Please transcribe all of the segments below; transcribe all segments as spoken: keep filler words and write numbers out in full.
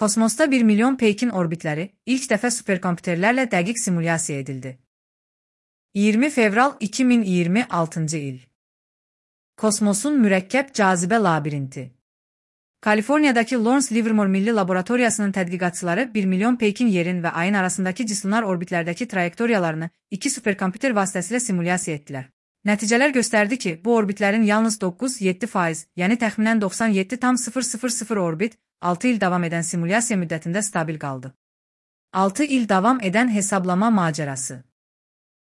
Kosmosda bir milyon Peykin orbitləri ilk dəfə superkompüterlərlə dəqiq simulyasiya edildi. iyirmi fevral iki min iyirmi altıncı il. Kosmosun mürəkkəb cazibə labirinti. Kaliforniyadakı Lawrence Livermore Milli Laboratoriyasının tədqiqatçıları bir milyon Peykin yerin və ayın arasındakı cislunar orbitlərdəki trayektoriyalarını iki superkompüter vasitəsilə simulyasiya etdilər. Nəticələr göstərdi ki, bu orbitlərin yalnız doqquz yeddi faiz, yəni təxminən doxsan yeddi tam sıfır sıfır sıfır orbit, altı il davam edən simulyasiya müddətində stabil qaldı. altı il davam edən hesablama macərası.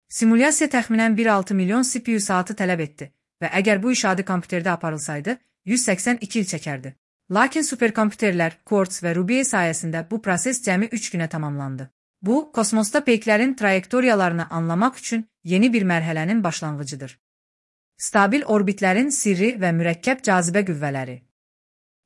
Simulyasiya təxminən bir nöqtə altı milyon C P U saatı tələb etdi və əgər bu iş adi kompüterdə aparılsaydı, yüz səksən iki il çəkərdi. Lakin superkompüterlər, Quartz və Ruby sayəsində bu proses cəmi üç günə tamamlandı. Bu, kosmosda peyklərin trayektoriyalarını anlamaq üçün yeni bir mərhələnin başlanğıcıdır. Stabil orbitlərin sirri və mürəkkəb cazibə qüvvələri.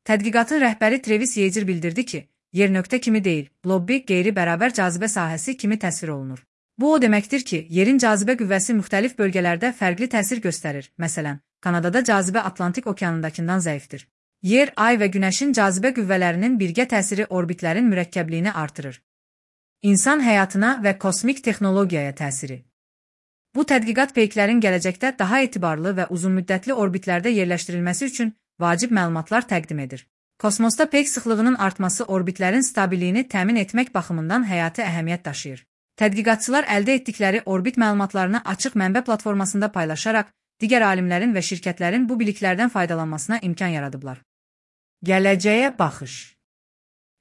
Tədqiqatın rəhbəri Travis Yeager bildirdi ki, yer nöqtə kimi deyil, blobbi qeyri-bərabər cazibə sahəsi kimi təsvir olunur. Bu o deməkdir ki, yerin cazibə qüvvəsi müxtəlif bölgələrdə fərqli təsir göstərir. Məsələn, Kanadada cazibə Atlantik okeanındakından zəifdir. Yer, ay və günəşin cazibə qüvvələrinin birgə təsiri orbitlərin mürəkkəbliyini artırır. İnsan həyatına və kosmik texnologiyaya təsiri. Bu tədqiqat peyklərin gələcəkdə daha etibarlı və uzunmüddətli orbitlərdə yerləşdirilməsi üçün vacib məlumatlar təqdim edir. Kosmosda peyk sıxlığının artması orbitlərin stabiliyini təmin etmək baxımından həyati əhəmiyyət daşıyır. Tədqiqatçılar əldə etdikləri orbit məlumatlarını açıq mənbə platformasında paylaşaraq, digər alimlərin və şirkətlərin bu biliklərdən faydalanmasına imkan yaradıblar. Gələcəyə baxış.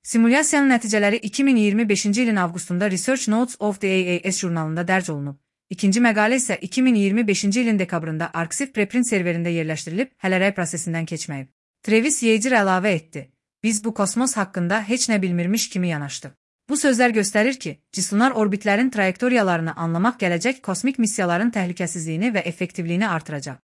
Simulyasiyanın nəticələri iki min iyirmi beşinci ilin avqustunda Research Notes of the A A S jurnalında dərc olunub. İkinci məqalə isə iki min iyirmi beşinci ilin dekabrında Arxiv preprint serverində yerləşdirilib, hələ rəy prosesindən keçməyib. Travis Yeager əlavə etdi. Biz bu kosmos haqqında heç nə bilmirmiş kimi yanaşdıq. Bu sözlər göstərir ki, cislunar orbitlərin trayektoriyalarını anlamaq gələcək kosmik missiyaların təhlükəsizliyini və effektivliyini artıracaq.